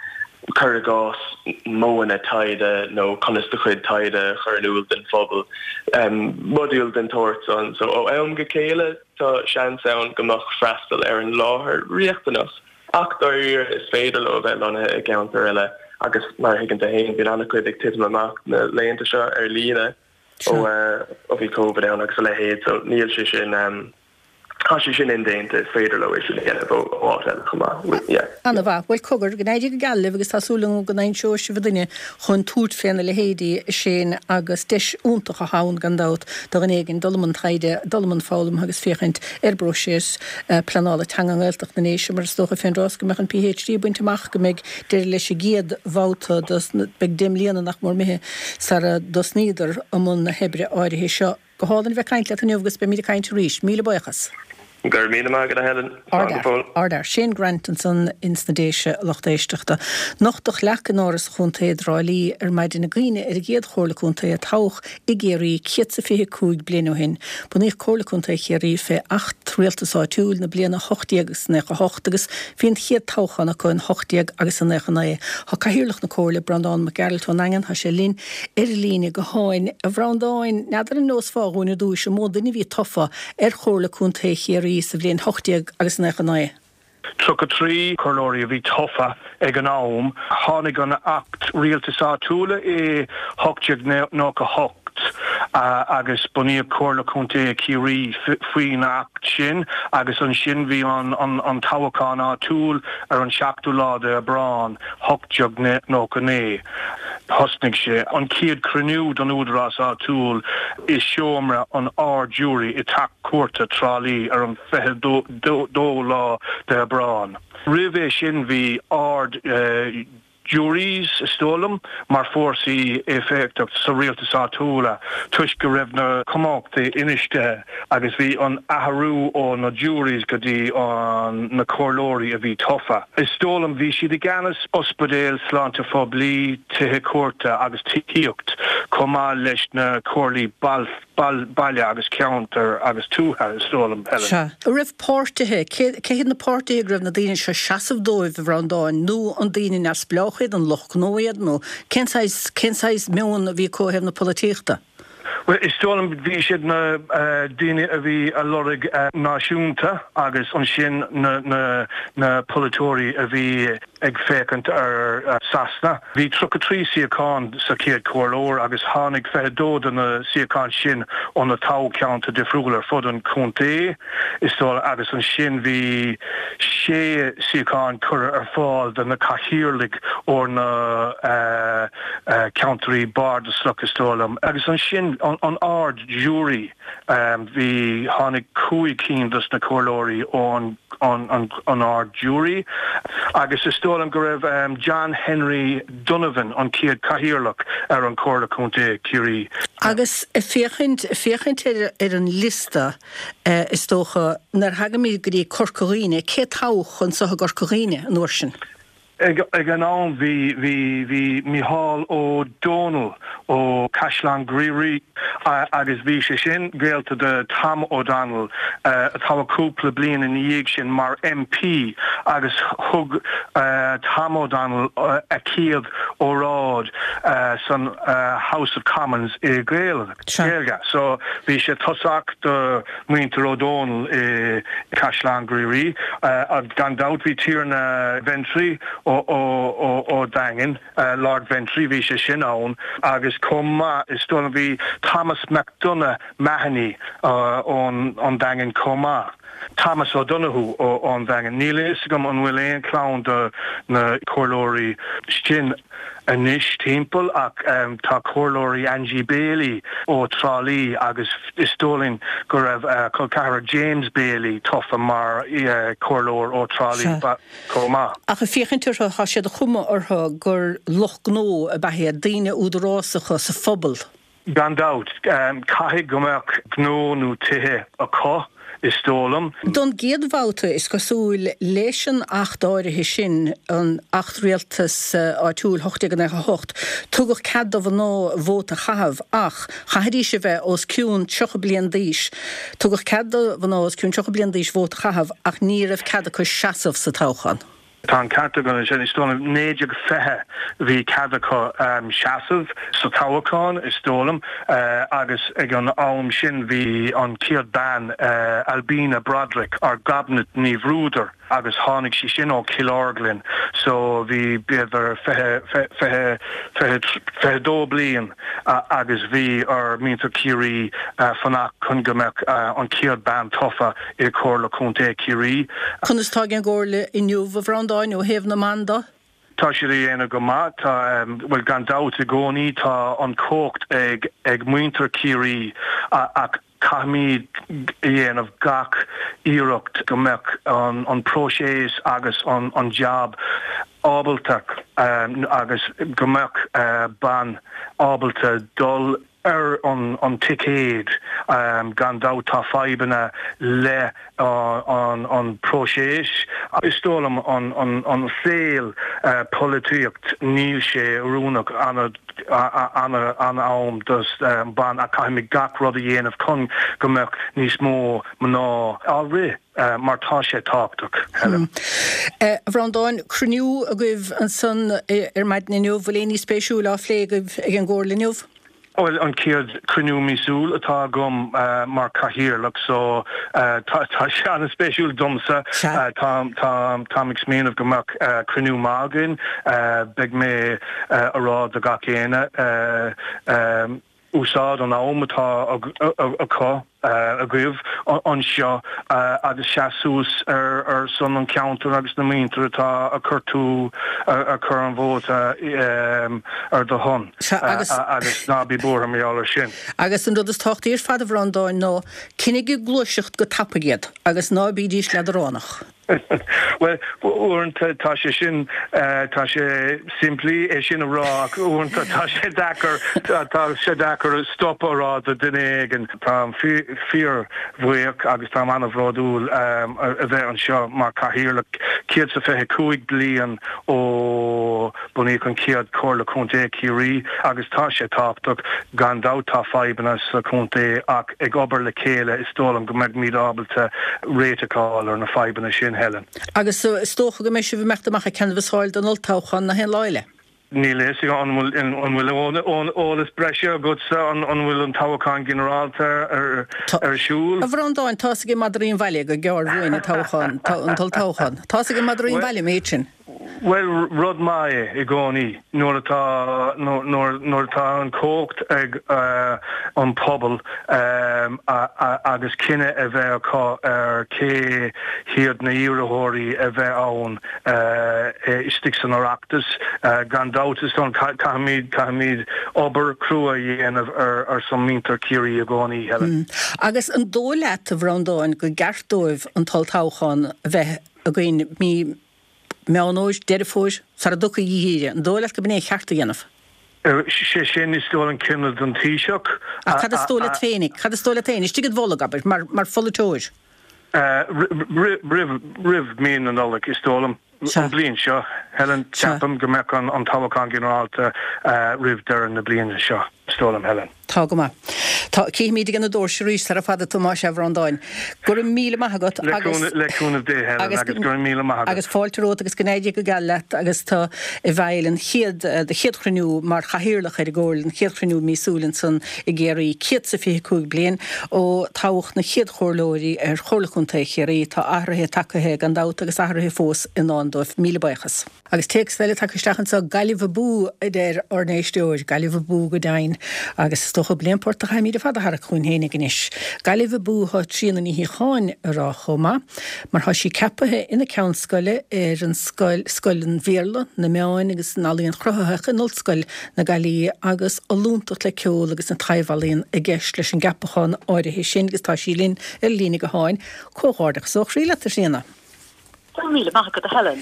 cuir i gcás modhanna taighde nó conas do chuid taighde a chur in iúl don phobal, modúil den tsórt san. So ó am go chéile tá seans ann go mbeadh freastal ar an láthair riachtanach. Ach dáiríre, is féidir leo a bheith lonnaithe i gceantar eile agus mar a thuigeann tú féin, bíonn an-chuid ag titim amach na laethanta seo ar líne ó bhí Covid ann agus a leithéid, so níl sé sin, tá sé sin indéanta, is féidir leo é sin a dhéanamh ó áit eile chomh maith. Yeah. Ana-mhaith. Bhuel, cogar, go n-éirí go geal libh agus tá súil agam go n-aimseoidh sibh duine chun tabhairt féna leithéidí, a Shane, agus deis iontach atá ann, gan dabht, do dhuine éigin dul i mbun taighde, dul i mbun foghlama agus féachaint ar an bpróiseas pleanála teanga i nGaeltacht na nDéise, mar is dócha fén dtráth is go mbeadh an PhD bainte amach go mbeidh deireadh leis an gcéad bhabhta dos na, beidh 10 mbliana nach mór imithe sara dtosnaíodar i mbun na hoibre áirithe seo. Go hálainn a bheith ag caint leat inniu agus beimid ag caint arís. Míle buíochas. Go raibh míle maith agat a Helen. Slán go fóill. Ardfhear. Shane Grant ansan ins na Déise, a lucht éisteachta. Nochtadh leac in Áras an Chontae i dTrá Lí ar maidin i gcuimhne ar an gcéad Chomhairle Contae a toghadh i gCiarraí 125 bliain ó shin. Bunaíodh Comhairle Contae Chiarraí fé Acht Rialtais Áitiúil na bliana 1898 agus bhí an chéad toghchán acu in 1899. Tá Cathaoirleach na Comhairle, Breandán Mac Gearailt ón nDaingean, tá sé linn ar an líne gutháin. A Bhreandáin, n'fheadar an neosfá dhúinn ar dtúis an mó duine a bhí tofa ar Chomhairle Contae Chiarraí sa bhliain 1899? 33 comhairleoirí a bhí tofa ag an am. Tháinig an Acht Rialtais Áitiúla i 1898 agus bunaíodh Comhairle Contae Chiarraí faoin Acht sin agus ansin bhí an toghachán áitiúil ar an 7ú lá de Aibreán 1899. Thosnaigh sé an chéad chruinniú don údarás áitiúil i seomra an Ard-Ghiúiré i dTeach Cúirte Trá Lí ar an 22 lá de Aibreán. Roimh é sin bhí Ard Juries, is dóigh liom, mar fórsaí éifeachtach sa rialtas áitiúla toisc go raibh na cumhachtaí infheistithe agus bhí an athrú ó na juries go dtí an na comhairleoirí a bhí tofa. Is dóigh liom bhí siad i gceannas ospidéil, sláinte phoiblí, tithe cúirte agus tithíocht chomh maith leis na comhairlí baile agus ceantair agus tuaithe, is dóigh liom, Helen. Sea. An raibh páirtithe, cé cé hiad na páirtithe go raibh na daoine seo ag seasamh dóibh, a Bhreandáin, nó an daoine neamhspleách iad, an lucht gnó iad, nó cén saghas, cén saghas meon a bhí acu ó thaobh na polaitíochta? Bhuel, is dóigh liom bhí siad na daoine a bhí a lorg náisiúnta agus ansin na na na polaiteoirí a bhí ag féachaint ar Sasana. Bhí 33 suíochán sa chéad chomhairleoir agus tháinig 22 de na suíocháin sin ó na toghcheantair difriúla ar fud an chontae, is dóigh, agus ansin bhí sé suíochán curtha ar fáil do na cathaoirligh ó na ceantair bardasach, is dóigh liom. Agus ansin an Ard-Ghiúiré. Bhí, tháinig 5 cinn dos na comhairleoirí ón an Ard-Ghiúiré agus is dóigh liom go raibh John Henry Donovan an chéad chathaoirleach ar an Chomhairle Contae Chiarraí. Agus ag féachaint, ag féachaint ar ar an liosta is dócha, nuair a thagaimid go dtí Corca Dhuibhne, cé toghadh anso i gCorca Dhuibhne an uair sin? Ag an am bhí bhí bhí Mícheál Ó Domhnaill ó Caisleán Ghriaire agus bhí sé sin gaolta do Tom O'Donnell a toghadh cúpla bliain ina dhiaidh sin mar MP agus thug Tom O'Donnell a chéad óráid san House of Commons i Gaeilge. So bhí sé tosach do muintir Ó Dónaill i gCaisleán Ghriaire. Gan dabht bhí Tiarna Ventry ó Daingean, Lord Ventry, bhí sé sin ann agus chomh maith is dóigh liom bhí Thomas MacDonagh Mahony ón Daingean chomh maith. Thomas O'Donoghue ón Daingean. Níl a fhios agam an bhfuil aon chlann de na comhairleoirí sin anois timpeall ach tá comhairleoirí Angie Bailey ó Trá Lí agus is dóigh linn go raibh a col ceathrar James Bailey tofa mar chomhairleoir ó Trá Lí chomh maith. Ach ag féachaint orthu tá sé de chuma orthu gur lucht gnó ab ea iad, daoine údarásacha sa phobal. Gan dabht, caithfidh go mbeadh gnó nó tithe acu, is dóigh liom. Don gcéad bhabhta, is cosúil, leis an Acht áirithe sin, an Acht Rialtais Áitiúil 1898, tugadh cead do mhná vóta a chaitheamh ach chaithfidís a bheith os cionn 30 bliain d'aois. Tugadh cead do mhná os cionn 30 bliain d'aois vóta a chaitheamh ach ní raibh cead acu seasamh sa toghchán. Tá an ceart agat ansin. Is dóigh liom 1920 bhí cead acu seasamh sa toghachán, is dóigh liom, agus ag an am sin bhí an chéad bean, Albina Broderick, or Gobnait Ní Bhruadair, agus tháinig sí sin ó Chill Orglan so bhí b'fhéidir 20, 20, 22 bliain agus bhí ar mhuintir Chiarraí fanacht chun go mbeadh an chéad bean tofa i Comhairle Contae Chiarraí. Conas tá ag an gComhairle inniu, a Bhreandáin, ó thaobh na mban de? Tá siad a dhéanamh go maith. Tá, bhuel, gan dabht i gcónaí tá an chumhacht ag ag muintir Chiarraí ach caithfimid a dhéanamh gach iarracht go mbeadh an an próiseas agus an an jab ábalta agus go mbeadh bean ábalta dul ar an ticéad. Gan dabht tá fadhbanna le an próiseas. Is dóigh liom an saol polaitíocht níl sé oiriúnach an-am dos ban ach caithfimid gach rud a dhéanamh chun go mbeadh níos mó mná á rith mar tá sé tábhachtach, Helen. A Bhreandáin, cruinniú agaibh ansan ar maidin inniu, bhfuil aon ní spéisiúil á phlé agaibh ag an gComhairle inniu? Bhuel, an chéad chruinniú míosúil atá agam mar chathaoirleach so tá sé an-spéisiúil domsa. Táim ag smaoineamh go mbeadh cruinniú maith againn. Beidh mé a rá do gach éinne úsáid an am atá acu. agaibh anseo agus seas suas ar son an cheantair agus na muintir atá a chuir tú a chuir an vóta ar do shon agus ná bí buartha mar gheall ar sin. Agus an rud is tábhachtaí ar fad a Bhreandáin ná coinnigh ag gluaiseacht go tapaidh iad agus ná bídís leadránach. Bhuel, uaireanta tá sé sin, tá sé simplí é sin a rá ach uaireanta tá sé deacair, tá sé deacair stop a rá do duine éigin. Táim fíor-bhuíoch agus táim an-bhródúil a bheith anseo mar chathaoirleach. 125 bliain ó bunaíodh an chéad Chomhairle Contae Chiarraí agus tá sé tábhachtach. Gan dabht tá fadhbanna sa chontae ach ag obair le chéile is dóigh liom go mbeimid ábalta réiteach a fháil ar na fadhbanna sin, Helen. Agus is dócha go mbeidh sibh ag imeacht amach ag canbhasáil don olltoghchán nach aon lá eile? Níl a fhios agam, an bhfuil eolas breise agatsa, an bhfuil an toghchán ginearálta ar siúl? A Bhreandáin, tá's ag madraí an bhaile gur gearr uainn an toghchán, an t-olltoghchán. Tá's ag madraí an bhaile an méid sin. Bhuel, rud maith é i gcónaí nuair atá, nuair atá an chumhacht ag an pobal agus cinneadh a bheith acu ar cé hiad na hiarrthóirí a bheith ann istigh san Oireachtas. Gan dabht, is dóigh, caithfimid, caithfimid obair chrua a dhéanamh ar son muintir Chiarraí i gcónaí, Helen. Agus an dóigh leat, a Bhreandáin, go gceart dóibh an t-olltoghchán a bheith againn mí Meán Fhómhair, Deireadh Fómhair, sara dtiocfaidh an geimhreadh, an dóigh leat go b'in é an ceart a dhéanamh? Sé sin, is dóigh an cinneadh don Taoiseach. Ach cad is dóigh leat féinig? Cad is dóigh leat féin? Istigh id bholg, abair, mar, mar pholaiteoir. Roimh, roimh mí na Nollag, is dóigh liom. An bhliain seo, Helen, ceapaim go mbeadh an toghchán ginearálta roimh deireadh na bliana seo, is dóigh liom, Helen. Tá go maith. Tá, cífimid ag na doirse arís sara fada a Thomáis a Bhreandáin. Go raibh míle maith agat agus. Le cúnamh Dé, Helen, agus go raibh míle maith agat. Agus fáilte romhat agus go n-éirí go geal leat agus tú i bhfeighil an chéad, do chéad chruinniú mar chathaoirleach ar an gComhairle, an chéad chruinniú míosúil ansan i gCiarraí, 125 bliain ó toghadh na chéad chomhairleoirí ar Chomhairle Chontae Chiarraí. Tá athruithe tagtha gan dabht agus athruithe fós i ndán dóibh. Míle buíochas. Agus téacs eile tagtha isteach anseo, Gaillimh abú, a deir ár n-éisteoir. Gaillimh abú go deimhin. Agus is dócha gurb é an port a chaithfimid ar fad a tharrac chugainn fhéinig anois. Gaillimh abú atá Tríona Ní Shíocháin a rá chomh maith, mar tá sí ceapaithe ina ceann scoile ar an scoil, Scoil an Bhéarla, na Meáin agus na nEalaíon Chruthaitheach in Ollscoil na Gaillimhe agus ollúntacht le ceol agus na taibh-ealaíon i gceist leis an gceapachán áirithe sin agus tá sí linn ar líne gutháin. Comhghairdeachas ó chroí leat, a Thríona. Go raibh míle maith agat, a Helen.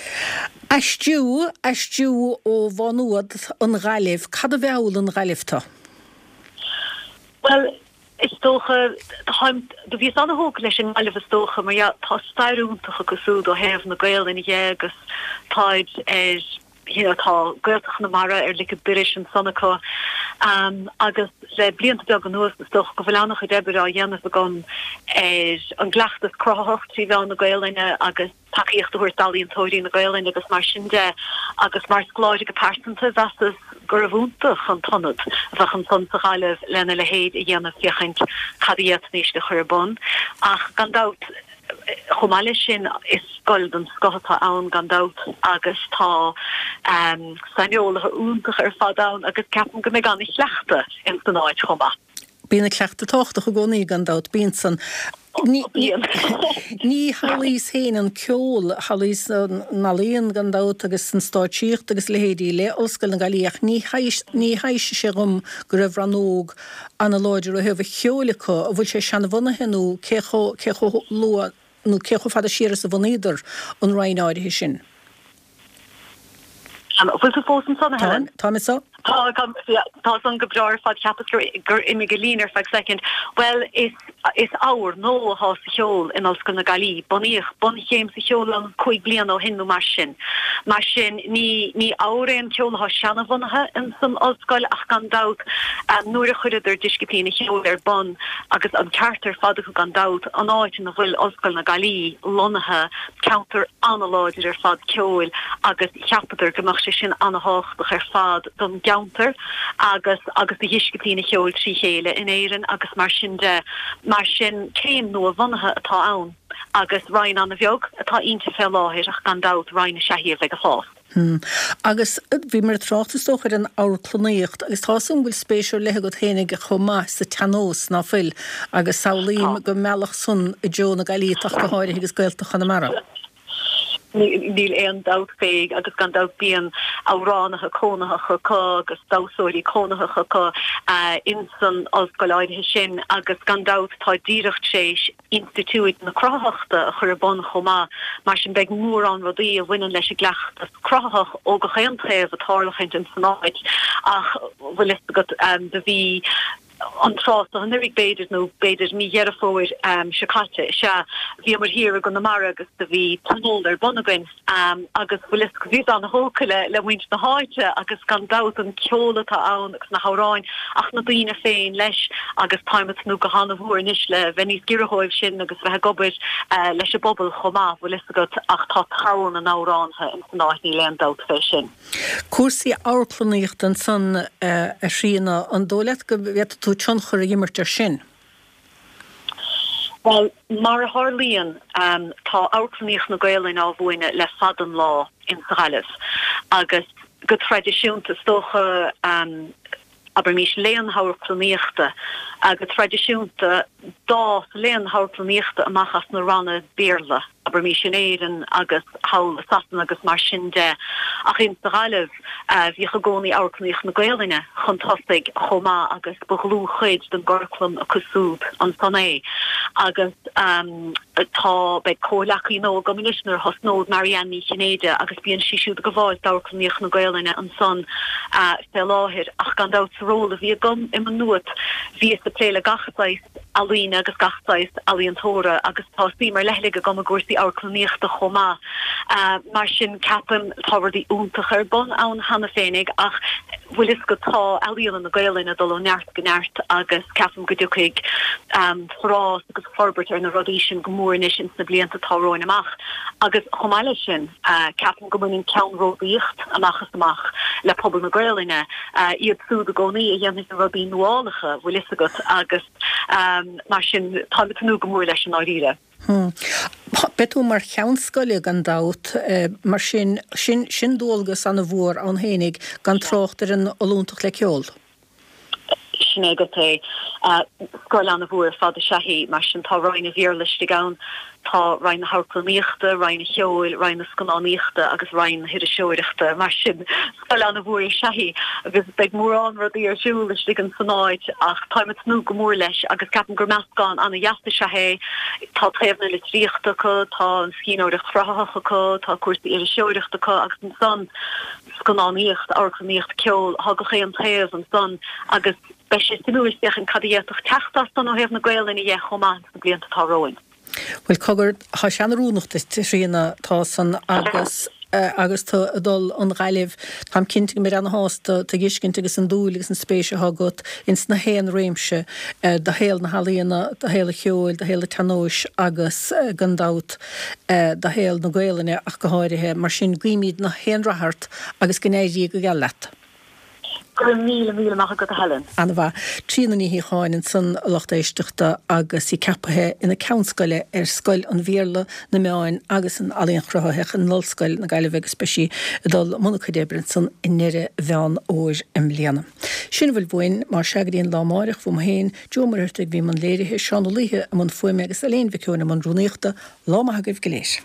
Aistriú, aistriú ó Mhá Nuad, an Ghaillimh, cad a mheall an Ghaillimh tu? Bhuel, is dócha, táim, do bhíos ana-thógtha leis an nGaillimh is dócha, mar dhea, tá stair iontach acu súd ó thaobh na Gaelainne dhe agus táid ar, you know, tá Gaeltacht Chonamara ar lic a dorais ansan acu agus le blianta beaga anuas is dócha go bhfuil an-chuid oibre á dhéanamh agam ar an gcleachtas cruthaitheach 3 mheán na Gaelainne agus tacaíocht a thabhairt d'ealaíontóirí na Gaelainne agus mar sin de agus mar scoláire go pearsanta mheasas gurbh iontach an t-ionad a bheadh ansan sa Ghaillimh lena leithéid a dhéanamh féachaint cad a d'fhéadfaimis a chur ar bun ach gan dabht Chomh maith leis sin, is scoil den scoth atá ann gan dabht agus tá saineolaithe iontacha ar fad ann agus ceapaim go mbeidh an-chleachtadh ins an áit chomh maith. Bíonn an cleachtadh tábhachtach i gcónaí gan dabht, bíonn san. Ní shamhlaíos féin an ceol, shamhlaíos na healaíona gan dabht agus an stáitsíocht agus a leithéidí le Ollscoil na Gaillimhe ach ní thaibhsigh sé dhom go raibh rannóg ana-láidir ó thaobh an cheoil acu, an bhfuil sé seanabhunaithe nó cé chomh, cé chomh luath nó cé chomh fada siar is a bhunaíodar an roinn áirithe sin? An bhfuil tú fós ansan, a Helen? Táim, táim anso. Tá, tá, yeah, tá san go breá ar fad, cheapas gur, gur imigh an líne ar feadh soicind. Bhuel, is, is ábhar nua atá sa cheol in Ollscoil na Gaillimhe. Bunaíodh bunchéim sa cheol ann 5 bliana ó shin nó mar sin. Mar sin, ní, ní ábhar é an ceol atá seanabhunaithe in san ollscoil ach gan dabht, nuair a chuireadar disciplín an cheoil ar bun, agus an ceart ar fad acu gan dabht, an áit ina bhfuil Ollscoil na Gaillimhe lonnaithe, ceantar an-láidir ar fad ceoil agus cheapadar go mbeadh sé sin an-thábhachtach ar fad don gceantar agus agus do dhisciplín an cheoil trí chéile in Éirinn agus mar sin de. Mar sin, céim nua-bhunaithe atá ann agus roinn an-bheag atá inti fé láthair ach gan dabht roinn is ea í a bheidh ag fás. Hm. Agus bhíomar ag trácht is dócha ar an amharclannaíocht agus tá 'fhios a'm go bhfuil spéis ar leith agat fhéinig chomh maith sa tsean-nós, ná fuil? Agus samhlaím go meallfadh san i dtreo na Gaillimhe ach go háirithe agus Gaeltacht Chonamara. Níl aon dabht fé agus gan dabht bíonn amhránaithe cónaitheacha acu agus damhsóirí cónaitheacha acu insan ollscoil áirithe sin agus gan dabht tá díreach tar éis Institiúid na Cruthaitheachta a chur ar bun chomh maith. Mar sin beidh mórán rudaí a bhaineann leis an gcleachtas cruthaitheach ó gach aon taobh ag tarlachaint ins an áit ach bhfuil fhios agat do bhí an tráth so anuraidh b'fhéidir nó b'fhéidir mí Dheireadh Fómhair seo caite is ea bhíomar thiar i gConamara agus do bhí tionól ar bun againn agus bhfuil fhios agat bhíos an-thógtha le le muintir na háite agus gan dabht an ceol atá ann agus na hamhráin ach na daoine féin leis agus táim ag tnúth go han-mhór anois le bheith níos giorra dhóibh sin agus bheith ag obair leis an bpobal chomh maith, bhfuil fhios agat, ach tá togha na n-amhránaithe ins an áit, níl aon dabht fé sin. Cúrsaí amharclannaíochta ansan a Thríona, an dóigh leat go bhféadfadh tú tionchar a imirt air sin? Bhuel, mar a tharlaíonn, tá amharclannaíocht na Gaelainne á mhúineadh le fada an lá in sa Ghaillimh agus go traidisiúnta, is dócha, abraimís, léann na hamharclannaíochta, go traidisiúnta d'fhás léann na hamharclannaíochta amach as na ranna Béarla, abraimís, in Éirinn agus thall i Sasana agus mar sin de ach in sa Ghaillimh, Bhíodh i gcónaí amharclannaíocht na Gaelainne chun tosaigh chomh maith agus ba dhlúthchuid den gcuraclam acu súd ansan é. Agus tá, beidh comhghleacaí nua agam anois nuair a thosnód, Marianne Ní Chinnéide, agus bíonn sí siúd ag gabháil d'amharclannaíocht na Gaelainne ansan fé láthair. Ach gan dabht sa ról a bhí agam i Maigh Nuad bhíos ag plé le gach saghas. Ealaíne agus gach saghas ealaíontóra agus tá suim ar leithligh agam i gcúrsaí amharclannaíochta chomh maith. Mar sin ceapaim tá rudaí iontacha ar bun ann cheana féinig ach bhfuil fhios agat tá ealaíona na Gaelainne ag dul ó neart go neart agus ceapaim go dtiocfaidh forás agus forbairt ar na rudaí sin go mór anois ins na blianta atá romhainn amach. Agus chomh maith leis sin ceapaim go mbaineann ceannródaíocht amach is amach le pobal na Gaelainne, iad súd i gcónaí a dhéanfaidh na rudaí nuálacha, bhfuil fhios agat, agus mar sin táim ag tnúth go mór leis i ndáiríre. Beidh tú mar cheann scoile gan dabht, mar sin, sin, sin dualgas ana-mhór ann fhéinig gan trácht ar an ollúntacht le ceol. Sin é agat é. Scoil an-mhór ar fad is ea í, mar sin tá Roinn an Bhéarla istigh ann, tá Roinn na hAmharclannaíochta, Roinn an Cheoil, Roinn na Scannánaíochta agus Roinn na hIriseoireachta. Mar sin, scoil an-mhór is ea í agus beidh mórán rudaí ar siúl istigh in san áit ach táim ag tnúth go mór leis agus ceapaim gur meascán an-dheas is ea é. Tá taobh na litríochta acu, tá an scríbhneoireacht chruthaitheach acu, tá cúrsaí iriseoireachta acu agus ansan, scannánaíocht, amharclannaíocht, ceol, tá gach aon taobh ansan agus beidh sé suimiúil féachaint cad a d'fhéadfadh teacht as san ó thaobh na Gaolainne dhe chomh maith sna blianta atá romhainn. Bhuel, cogar, tá sé an-oiriúnach duit, a Thríona, tá san agus agus tú ag dul 'on Ghaillimh, táim cinnte go mbeid ana-shásta tuiscint agus an dúil agus an spéis atá agat ins na haon réimse de shaol na healaíona, de shaol an cheoil, de shaol an tsean-nóis agus gan dabht, do shaol na Gaolainne ach go háirithe. Mar sin, guímid na haon rath ort agus go n-éirí go geal leat. Go raibh míle, míle maith agat a Helen. Ana-mhaith. Tríona Ní Shíocháin ansan, a lucht éisteachta, agus í ceapaithe ina ceann scoile ar Scoil an Bhéarla, na Meáin agus an Ealaíon Chruthaitheach in Ollscoil na Gaillimhe agus beidh sí ag dul i mbun a cuid oibre ansan i ndeireadh Mheán Fhómhair i mbliana. Sin a bhfuil uainn, mar sea, go dtí an lá amáireach, uaim féin, Joe Ó Muircheartaigh a bhí i mbun léirithe, Seán Ó Laoithe i mbun fuaime agus Elaine Mhic Eoin i mbun rúnaíochta. Lá maith agaibh go léir.